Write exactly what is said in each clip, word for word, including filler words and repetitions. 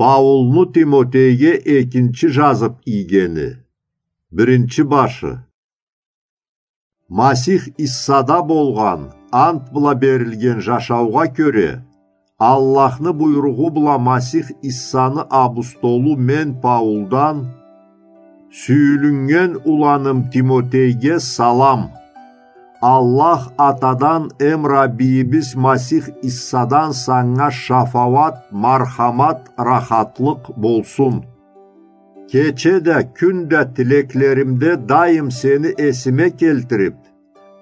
Паулну Тимотейге экинчи жазып ийгени. Биринчи башы. Масих Иссада болгъан ант бла берилген жашаугъа кёре, Аллахны буйругъу бла Масих Иссаны абустолу мен Паулдан, сюйюлюннген уланым Тимотейге салам. Аллах Атадан эм Раббийибиз Масих Иссадан санга шафауат, мархамат, рахатлыкъ болсун. Кече да, кюн да тилеклеримде дайым сени эсиме келтирип,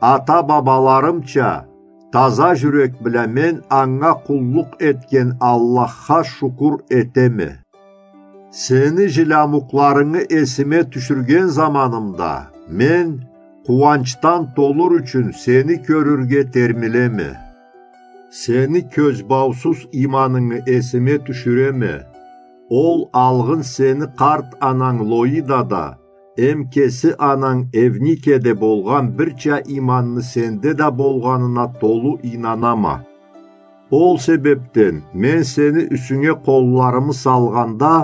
ата-бабаларымча, таза жюрек бла мен анга къуллукъ этген Аллахха шукур этеме. Сени жилямукъларынгы эсиме тюшюрген заманымда, мен, къууанчдан толур ючюн, сени кёрюрге термилеме. Сени кёзбаусуз ийманынгы эсиме тюшюреме. Ол алгъын сени къарт ананг Лоидада, эм кеси ананг Евникеде болгъан бирча ийманны сенде да болгъанына толу ийнанама. Ол себепден мен сени юсюнге къолларымы салгъанда,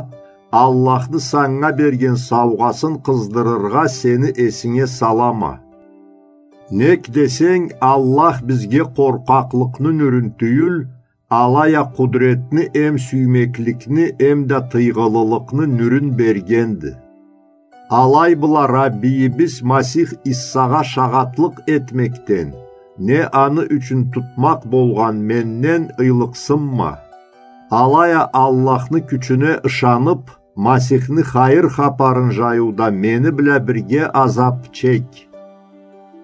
Аллахны санга берген саугъасын къыздырыргъа сени эсинге салама. Нек десенг, Аллах бизге къоркъакълыкъны нюрюн тюйюл, алай а къудретни эм сюймекликни эм да тыйгъылылыкъны нюрюн бергенди. Алай бла Раббийибиз Масих Иссагъа шагъатлыкъ этмекден, не аны ючюн тутмакъ болгъан менден ыйлыкъсынма. Алай а Аллахны кючюне ышанып, Масихни хайыр хапарын жайыуда мени бла бирге азап чек.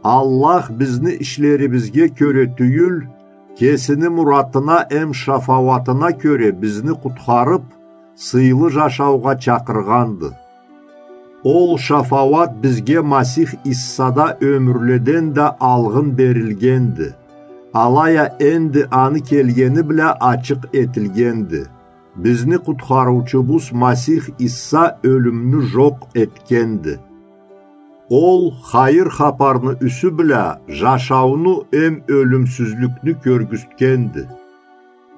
Аллах бизни ишлерибизге кёре тюйюл, кесини муратына эм шафауатына кёре бизни къутхарып, сыйлы жашаугъа чакъыргъанды. Ол шафауат бизге Масих Иссада ёмюрледен да алгъын берилгенди. Алай а энди аны келгени бла ачыкъ этилгенди. Бизни къутхарыучубуз Масих Исса ёлюмню жокъ этгенди. Ол хайыр хапарны юсю бла жашауну эм ёлюмсюзлюкню кёргюзтгенди.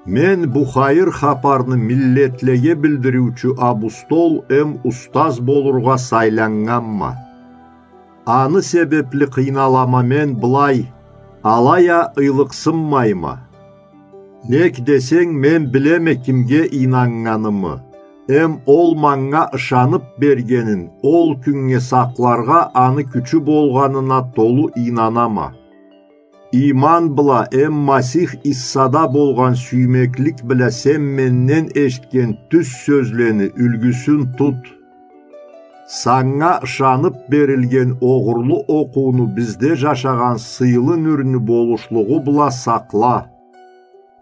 Мен бу хайыр хапарны миллетлеге билдириучю абустол эм устаз болургъа сайланнганма. Аны себепли къыйналама мен былай, алай а ыйлыкъсынмайма. Нек десенг, мен билеме кимге ийнаннганымы, эм ол манга ышанып бергенин ол кюннге сакъларгъа аны кючю болгъанына толу ийнанама. Ийман бла эм Масих Иссада болгъан сюймеклик бла сен менден эшитген тюз сёзлени юлгюсюн тут. Санга ышанып берилген огъурлу окъууну бизде жашагъан сыйлы нюрню болушлугъу бла сакъла.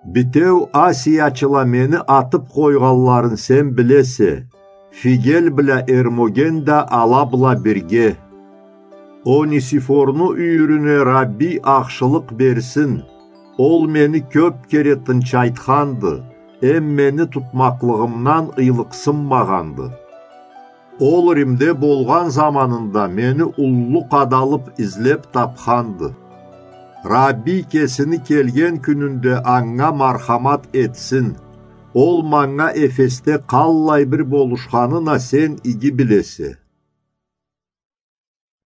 Битеу Асиячыла мени атып къойгъанларын сен билесе, Фигел бла Эрмоген да ала бла бирге. Онисифорну юйюрюне Рабби ахшылыкъ берсин. Ол мени кёп кере тынчайтханды, эм мени тутмакълыгъымдан ыйлыкъсынмагъанды. Ол Римде болгъан заманында мени уллу къадалып излеп тапханды. Рабби кесини келген кюнюнде анга мархамат этсин. Ол манга Эфесде къаллай бир болушханын а сен иги билесе.